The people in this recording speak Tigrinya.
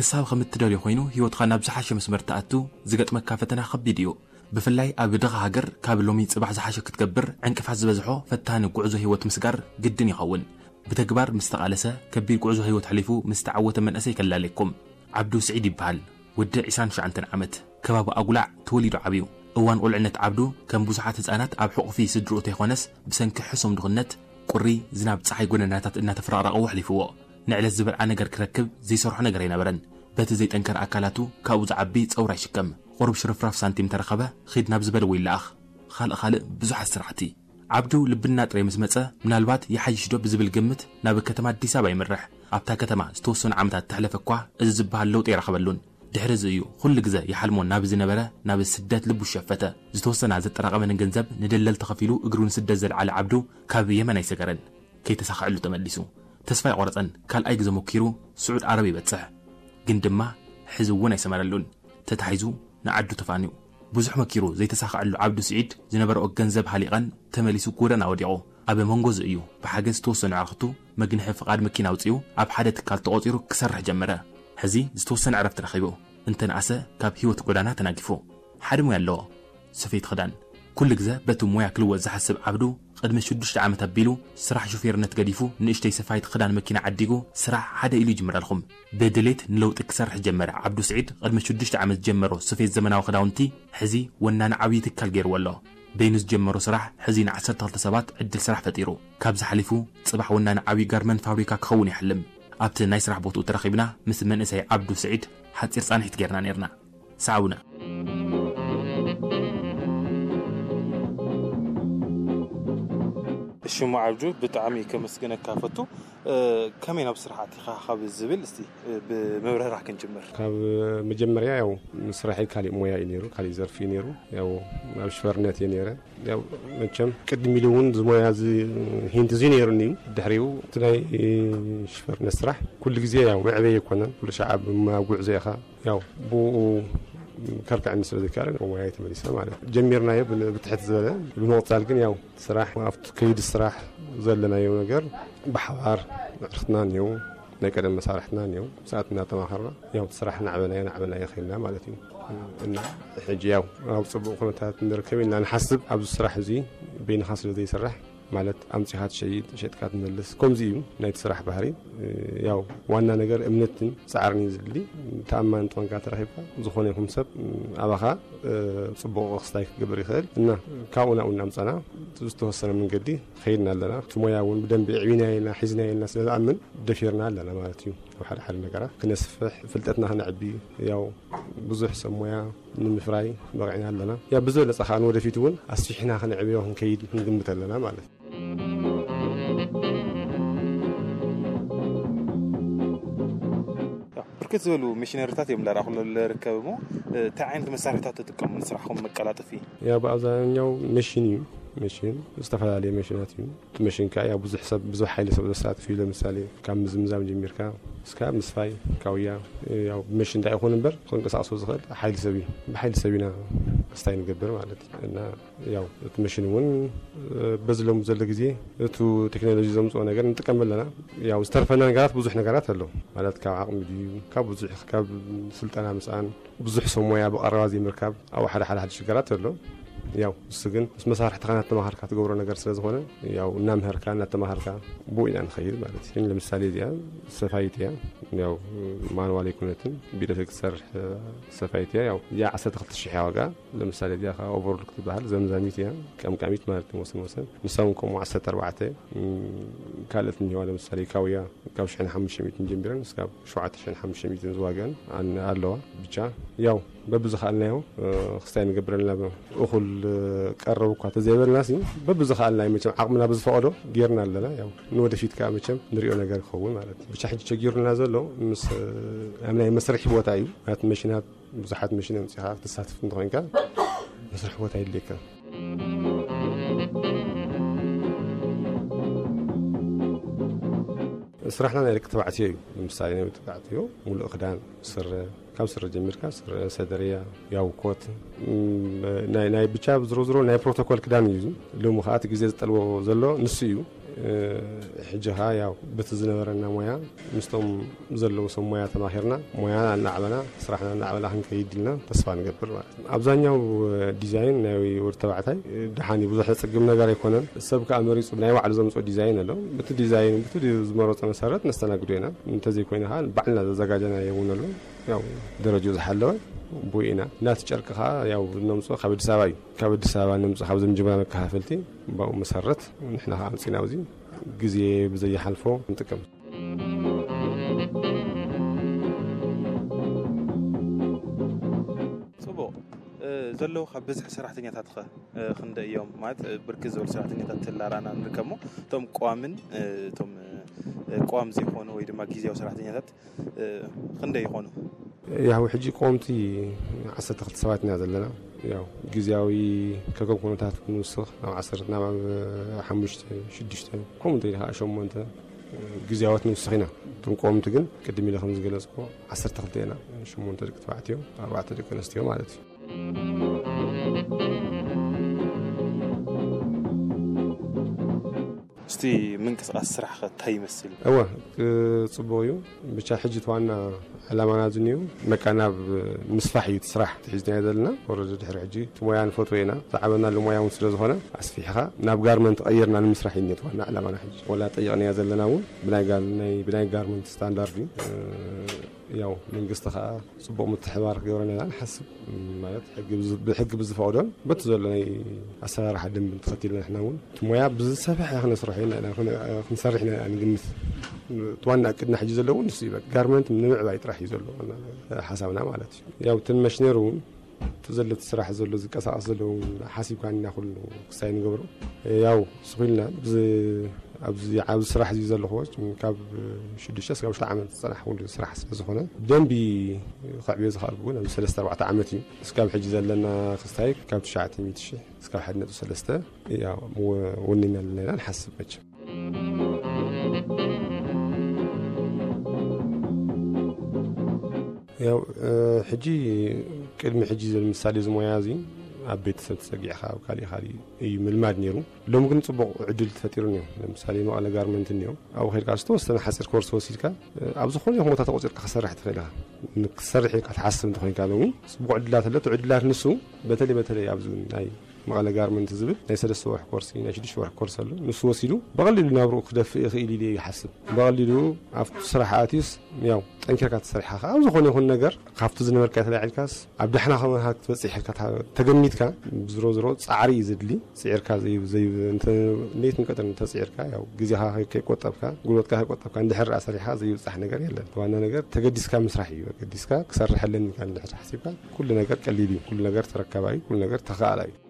ሓሳብ ከም እትደልዮ ኮይኑ ህይወትኻ ናብ ዝሓሸ መስመር ትኣቱ ዝገጥመካ ፈተና ከቢድ እዩ። ብፍላይ ኣብ ድኻ ሃገር ካብ ሎሚ ጽባሕ ዝሓሸ ክትገብር ዕንቅፋት ዝበዝሖ ፈታኒ ጉዕዞ ህይወት ምስጋር ግድን ይኸውን። ብተግባር ምስ ተቓለሰ ከቢድ ጉዕዞ ህይወት ሕሊፉ ምስ ተዓወተ መንእሰይ ከላለየኩም። ዓብዱ ስዒድ ይበሃል። ወዲ ዕስራን ትሽዓተን ዓመት። ከባቢ ኣጉላዕ ተወሊዱ ዓብዩ። እዋን ቁልዕነት ዓብዱ ከም ብዙሓት ህጻናት ኣብ ሕቑፊ ስድርኡ ተይኮነስ ብሰንኪ ሕሱም ድኽነት ቁሪ ዝናብ ጸሓይ ጎደናታት እናተፈራቕረቐዎ ኣሕሊፍዎ። ንዕለት ዝበልዓ ነገር ክረክብ ዘይሰርሖ ነገር ኣይነበረን። በቲ ዘይጠንከረ ኣካላቱ ካብኡ ዝዓቢ ጸውራ ይሽከም። ቁሩብ ሽርፍራፍ ሳንቲም ተረኸበ ኺድ ናብ ዝበልዎ ይለኣኽ። ኻልእ ኻልእ ብዙሓት ስራሕቲ። ዓብዱ ልብና ጥራይ ምስ መጸ ምናልባት ይሓይሽ ዶ ብዝብል ግምት ናብ ከተማ ኣዲስ ኣበባ ይምርሕ። ኣብታ ከተማ ዝተወሰኑ ዓመታት ተሕለፈ እኳ እዚ ዝበሃል ለውጢ ኣይረኸበሉን። ድሕሪ እዚ እዩ ኩሉ ግዘ ይሓልሞ ናብ ዝነበረ ናብ ስደት ልቡ ሸፈተ። ዝተወሰና ዘጠራቐመን ገንዘብ ንደለል ተኸፊሉ እግሩ ንስደት ዘልዓለ ዓብዱ ካብ የመን ኣይሰገረን። ከይተሳኸዐሉ ተመሊሱ። ተስፋ ኣይቆረጸን። ካልኣይ ግዘ ሞኪሩ ስዑድ ዓረብ ይበጽሕ። ግን ድማ ሕዚ እውን ኣይሰመረሉን። ተታሒዙ ንዓዱ ተፋንዩ። ብዙሕ መኪሩ ዘይተሳኸዐሉ ዓብዱ ስዒድ ዝነበረኦ ገንዘብ ሃሊቐን ተመሊሱ ጎደና ወዲቑ። ኣብ መንጎ እዚ እዩ ብሓገዝ ዝተወሰኑ ኣዕርኽቱ መግንሒ ፍቓድ መኪና ኣውጺኡ ኣብ ሓደ ትካል ተቖጺሩ ክሰርሕ ጀመረ። ሕዚ ዝተወሰነ ዕረፍቲ ረኺቡ እንተንኣሰ ካብ ህይወት ጎዳና ተናጊፉ ሓደ ሞያ ኣለዎ። ስፌት ክዳን። ኩሉ ግዘ በቲ ሞያ ክልወጥ ዝሓስብ ዓብዱ ቅድሚ ሽዱሽተ ዓመት ኣቢሉ ስራሕ ሹፌርነት ገዲፉ ንእሽተይ ሰፋይት ክዳን መኪና ዓዲጉ ስራሕ ሓደ ኢሉ ይጅምረልኹም። ብድሌት ንለውጢ ክሰርሕ ጀመረ። ዓብዱ ስዒድ ቅድሚ ሽዱሽተ ዓመት ዝጀመሮ ስፌት ዘመናዊ ክዳውንቲ ሕዚ ወናኒ ዓብዪ ትካል ገይርዎ ኣሎ። በይኑ ዝጀመሮ ስራሕ ሕዚ ንዓሰርተ ክልተ ሰባት ዕድል ስራሕ ፈጢሩ። ካብዚ ሓሊፉ ጽባሕ ወናኒ ዓብዪ ጋርመንት ፋብሪካ ክኸውን ይሓልም። ኣብቲ ናይ ስራሕ ቦትኡ ተራኺብና ምስ መንእሰይ ዓብዱ ስዒድ ሓጺር ጻንሒት ጌርና ኔርና። ሰዓቡና። ሽሙ ዓብዱ ብጣዕሚ ከመስግነካ ፈቱ። ከመይ ናብ ስራሕ ኣቲኻ ካብ ዝብል እስቲ ብመብረራ ክንጅምር። ካብ መጀመርያ ያው ስራሐይ ካሊእ ሞያ እዩ ነይሩ፣ ካሊእ ዘርፊ እዩ ነይሩ። ያው ኣብ ሽፈርነት እየ ነይረ። ያው መቸም ቅድም ኢሉ እውን እዚ ሞያ እዚ ሂንት እዚ ነይሩኒ እዩ። ድሕሪኡ እቲ ናይ ሽፈርነት ስራሕ ኩሉ ግዜ ያው መዕበይ ኣይኮነን። ኩሉ ሻዕ ኣብ ሞያ ጉዕዞ ኢኻ። ያው ብኡ ከርክዐኒ ስለ ዘይከኣለ ናብ ሞያይ ተመሊሰ ማለት እዩ። ጀሚርናዮ ብ-፣ ብትሕት ዝበለ። ብምቕጻል ግን ያው ስራሕ ኣብቲ ከይዲ ስራሕ ዘለናዮ ነገር ብሓባር ኣዕርኽትና እኒው፣ ናይ ቀደም መሳርሕትና እኒው፣ ሰዓት እናተማኸርና ያው እቲ ስራሕ ናዕበናዮ ናዕበናዮ ኸይድና ማለት እዩ። እና ሕጂ ያው ኣብ ጽቡቕ ኩነታት ንርከብ ኢልና ንሓስብ። ኣብዚ ስራሕ እዚ በይንኻ ስለ ዘይስራሕ ማለት ኣምጺኻ ትሸይጥ፣ ሸጥካ ትመልስ፣ ከምዚ እዩ ናይቲ ስራሕ ባህሪ። ያው ዋና ነገር እምነትን ጻዕርን እዩ ዝድሊ። ተኣማኒ እንተኾንካ ተረኺብካ፣ ዝኾነ ይኹን ሰብ ኣባኻ ጽቡቕ ክስታይ ክገብር ይኽእል። እና ካብኡ ናብኡ እናምጻና ዝተወሰነ መንገዲ ኸይድና ኣለና። እቲ ሞያ እውን ብደንቢ ኣዕቢናዮ ኢና፣ ሒዝናዮ ኢና ስለ ዝኣምን ደፊርና ኣለና ማለት እዩ። ኣብ ሓደ ሓደ ነገራት ክነስፍሕ፣ ፍልጠትና ክነዕቢ፣ ያው ብዙሕ ሰብ ሞያ ንምፍራይ በቒዕና ኣለና። ያው ብዝበለጸ ኸኣ ንወደፊት እውን ኣስፊሕና ክነዕብዮ ክንከይድ ንግምት ኣለና ማለት እዩ። ያው ብርክት ዝበሉ ሚሽነሪታት እዮም እንዳረኣኹ ዝርከብ እሞ፣ እንታይ ዓይነት መሳርሒታት ትጥቀሙ ንስራሕኹም መቀላጠፊ? ያው ብኣብዛኛው መሽን እዩ። መሽን፣ ዝተፈላለየ መሽናት እዩ። እቲ መሽን ከኣ ያው ብዙሕ ሰብ፣ ብዙሕ ሓይሊ ሰብ ዘሳትፍ እዩ። ለምሳሌ ካብ ምዝምዛም ጀሚርካ እስካብ ምስፋይ፣ ካውያ፣ ያው ብመሽን እንታይ ይኹን እምበር ክንቀሳቕሶ ዝኽእል ሓይሊ ሰብ እዩ። ብሓይሊ ሰብ ኢና ክስታይ ንገብር ማለት እዩ። እና ያው እቲ መሽን እውን በዚ ሎሚ ዘሎ ግዜ እቲ ቴክኖሎጂ ዘምፅኦ ነገር ንጥቀም ኣለና። ያው ዝተርፈና ነገራት ብዙሕ ነገራት ኣሎ ማለት ካብ ዓቕሚ ድዩ፣ ካብ ብዙሕ፣ ካብ ስልጠና ምስኣን፣ ብዙሕ ሰብ ሞያ ብቐረባ ዘይምርካብ፣ ኣብኡ ሓደ ሓደ ሓደ ሽግራት ኣሎ። ያው እሱ ግን ምስ መሳርሕትኻ እናተማሃርካ ትገብሮ ነገር ስለ ዝኾነ፣ ያው እናምሀርካ እናተማሃርካ ብኡ ኢና ንኸይድ ማለት እዩ። ለምሳሌ እዚኣ ሰፋይት እያ፣ ያው ማንዋል ኣይኮነትን፣ ብኤሌክትሪክ ትሰርሕ ሰፋይት እያ። ያው እዚኣ ዓሰርተ ክልተ ሽሕ እያ ዋጋ። ለምሳሌ እዚኣ ከዓ ኦቨርሎክ ትበሃል፣ ዘምዛሚት እያ፣ ቀምቃሚት ማለት እዩ። ወሰን ወሰን ንሳ እውን ከምኡ ዓሰርተ ኣርባዕተ፣ እም፣ ካልኦት እኒዋ፣ ለምሳሌ ካውያ ካብ ሽሕን ሓሙሽተ ሚእትን ጀሚረን እስካብ ሸውዓተ ሽሕን ሓሙሽተ ሚእትን ዝዋግአን ኣን-፣ ኣለዋ። ብቻ ያው በብዝኸኣልናዮ፣ እ፣ ክስታይ ንገብረልና እኹል፣ እ፣ ቀረብ እኳ ተዘይበልና ሲ በብዝኸኣልናዮ መቸም ዓቕምና ብዝፈቐዶ ጌርና ኣለና። ያው ንወደፊት ከዓ መቸም ንሪኦ ነገር ክኸውን ማለት እዩ። ብቻ ሕጂ ቸጊሩና ዘሎ ምስ፣ እ፣ ኣብ ናይ መስርሒ ቦታ እዩ። ማለት መሽናት ብዙሓት መሽን ኣምጺኻ ክትሳተፍ እንተኾይንካ መስርሒ ቦታ የድልየካ። ስራሕና ናይ ደቂ ተባዕትዮ እዩ። ንምሳሌ ናይ ደቂ ተባዕትዮ ሙሉእ ክዳን፣ ስረ፣ ካብ ስረ ጀሚርካ ስረ፣ ሰደርያ፣ ያው ኮት፣ እም፣ ናይ፣ ናይ ብቻ ዝሮ ዝሮ ናይ ፕሮቶኮል ክዳን እዩ። ሎሚ ከዓ እቲ ግዜ ዝጠልቦ ዘሎ ንሱ እዩ። ሕጂ ኸዓ ያው በቲ ዝነበረና ሞያ ምስቶም ዘለዉ ሰብ ሞያ ተማኺርና፣ ሞያና እናዕበና፣ ስራሕና እናዕበና ክንከይድ ኢልና ተስፋ ንገብር ማለት እዩ። ኣብዛኛው ዲዛይን ናይ ወዲ ተባዕታይ ደሓን እዩ፣ ብዙሕ ዘጸግም ነገር ኣይኮነን። ሰብ ከኣ መሪጹ ብናይ ባዕሉ ዘምጽኦ ዲዛይን ኣሎ። በቲ ዲዛይን፣ በቲ ዝመረጾ መሰረት ነስተናግዶ ኢና። እንተዘይኮይኑ ኸኣ ባዕልና ዘዘጋጀናዮ እውን ኣሎ። ያው ደረጃኡ ዝሓለወ ብኡ ኢና። ናቲ ጨርቂ ኸኣ ያው ነምጽኦ ካብ ኣዲስ ኣበባ እዩ። ካብ ኣዲስ ኣበባ ነምጽኦ፣ ካብ ዘምጅባ መከፋፈልቲ፣ ብኡ መሰረት ንሕና ኸኣ ኣምጺና ኣብዚ ግዜ ብዘይሓልፎ ንጥቀም። ጽቡቕ። እ፣ ዘለዉ ካብ ብዝሒ ሰራሕተኛታትኸ፣ እ፣ ክንደይ እዮም? ማለት፣ እ፣ ብርክት ዝበሉ ሰራሕተኛታት ተላራና ንርከሞ፣ እቶም ቀዋምን፣ እ፣ እቶም፣ እ፣ ቀዋም ዘይኮኑ ወይ ድማ ግዜያዊ ሰራሕተኛታት፣ እ፣ ክንደይ ይኾኑ? ያው ሕጂ ቀወምቲ ዓሰርተ ክልተ ሰባት ኢና ዘለና። ያው ግዜያዊ ከከም ኩነታት ክንውስኽ ናብ ዓሰርተ፣ ናብ ሓሙሽተ፣ ሽዱሽተ፣ ከምኡ እንተኢልካ ሸሞንተ ግዜያዎት ንውስኽ ኢና። እቶም ቀወምቲ ግን ቅድም ኢለ ከም ዝገለጽኩ ዓሰርተ ክልተ ኢና። ሸሞንተ ደቂ ተባዕትዮ፣ ኣርባዕተ ደቂ ኣንስትዮ ማለት እዩ። እስቲ ምንቅስቃስ ስራሕ ከ እንታይ ይመስል? እወ፣ እ፣ ጽቡቕ እዩ። ብቻ ሕጂ እቲ ዋና ዕላማና እዚ እዩ። በቃ ናብ ምስፋሕ እዩ እቲ ስራሕ ሒዝናዮ ዘለና። ወረደ ድሕሪ ሕጂ እቲ ሞያ ንፈትዎ ኢና። ዝዓበናሉ ሞያ እውን ስለ ዝኾነ ኣስፊሕኻ ናብ ጋርመንት ቀይርና ንምስራሕ እዩ እቲ ዋና ዕላማና። ሕጂ ወላ ጠይቕናዮ ዘለና እውን ብናይ ጋር-፣ ናይ፣ ብናይ ጋርመንት ስታንዳርድ እዩ። እ፣ ያው መንግስቲ ኸኣ ጽቡቕ ምትሕባር ክገብረና ኢና ንሓስብ። ማለት ሕጊ ብዝ-፣ ብሕጊ ብዝፈቕዶን በቲ ዘሎ ናይ ኣሰራርሓ ደንብን ተኸቲልና ንሕና እውን እቲ ሞያ ብዝሰፍሐ ክነስርሖ ኢና፣ ኢና፣ ክነ-፣ ክንሰርሕ ኢና ንግምት። እቲ ዋና እቅድና ሕጂ ዘለዎ ንሱ እዩ። በቃ ጋርመንት ንምዕባይ ጥራሕ እዩ ዘሎ ዋና ሓሳብና ማለት እዩ። ያው እተን መሽነሪ እውን እቲ ዘሎ እቲ ስራሕ ዘሎ ዝንቀሳቐስ ዘሎ እውን ሓሲብካ ኢና ኩሉ ክሳይ ንገብሮ። ያው ስኹልና ብዝ-፣ ኣብዚ ዓቢ ስራሕ እዚ ዘለኹዎ ካብ ሽዱሽተ እስካብ ሽዱሽተ ዓመት ዝጸናሕ ኩሉ ስራሕ ስለ ዝኾነ ብደንቢ ከዕብዮ ዝኸኣልኩ እውን ኣብዚ ሰለስተ ኣርባዕተ ዓመት እዩ። እስካብ ሕጂ ዘለና ክስታይ ካብ ትሽዓተ ሚእቲ ሺሕ እስካብ ሓደ ነጥቢ ሰለስተ፣ ያው፣ ወ-፣ ወኒና ኣለና ኢና ንሓስብ መቸም። ያው፣ እ፣ ሕጂ፣ ቅድሚ ሕጂ ዘ-፣ ምሳሌ እዚ ሞያ እዚ ኣብ ቤተሰብ ተጸጊዕካ ኣብ ካሊእ ካሊእ እዩ ምልማድ ነይሩ። ሎሚ ግን ጽቡቕ ዕድል ተፈጢሩ ነይሩ። ለምሳሌ መቐለ ጋርመንት እኒኦ፣ ኣብኡ ከይድካ ዝተወሰነ ሓጺር ኮርስ ወሲድካ፣ እ፣ ኣብ ዝኾነ ይኹን ቦታ ተቖጺርካ ክሰርሕ ትኽእል ኢኻ። ንክትሰርሕ ኢልካ ትሓስብ እንተኾይንካ ሎሚ ጽቡቕ ዕድላት ኣሎ። እቲ ዕድላት ንሱ በተለይ በተለይ ኣብዚ ናይ መቐለ ጋርመንት ዝብል ናይ ሰለስተ ወርሒ ኮርሲ፣ ናይ ሽዱሽተ ወርሒ ኮርስ ኣሎ። ንሱ ወሲዱ ብቐሊሉ ናብርኡ ክደፍእ ይኽእል ኢሉ ይሓስብ። ብቐሊሉ ኣብቲ ስራሕ ኣትዩስ፣ ያው፣ ጠንኪርካ ትሰርሕ ኢኻ። ኣብ ዝኾነ ይኹን ነገር ካብቲ ዝነበርካ ተላዒልካስ ኣብ ዳሕና ከማኻ ክትበጽሕ ኢልካ ተ-፣ ተገሚትካ፣ ዝሮ ዝሮ ጻዕሪ እዩ ዘድሊ። ጽዒርካ ዘይ-፣ ዘይ-፣ እንተ-፣ ለይትን ቀትርን እንተጽዒርካ፣ ያው፣ ግዜኻ ከይ-፣ ከይቆጠብካ፣ ጉልበትካ ከይቆጠብካ፣ እንድሕር ደኣ ሰሪሕካ ዘይብጻሕ ነገር የለን። ዋና ነገር ተገዲስካ ምስራሕ እዩ። ተገዲስካ ክሰርሕ ኣለኒ ኢልካ እንድሕር ሓሲብካ፣ ኩሉ ነገር ቀሊል እዩ። ኩሉ ነገር ተረካባይ፣ ኩሉ ነገር ተኻኣላይ እዩ።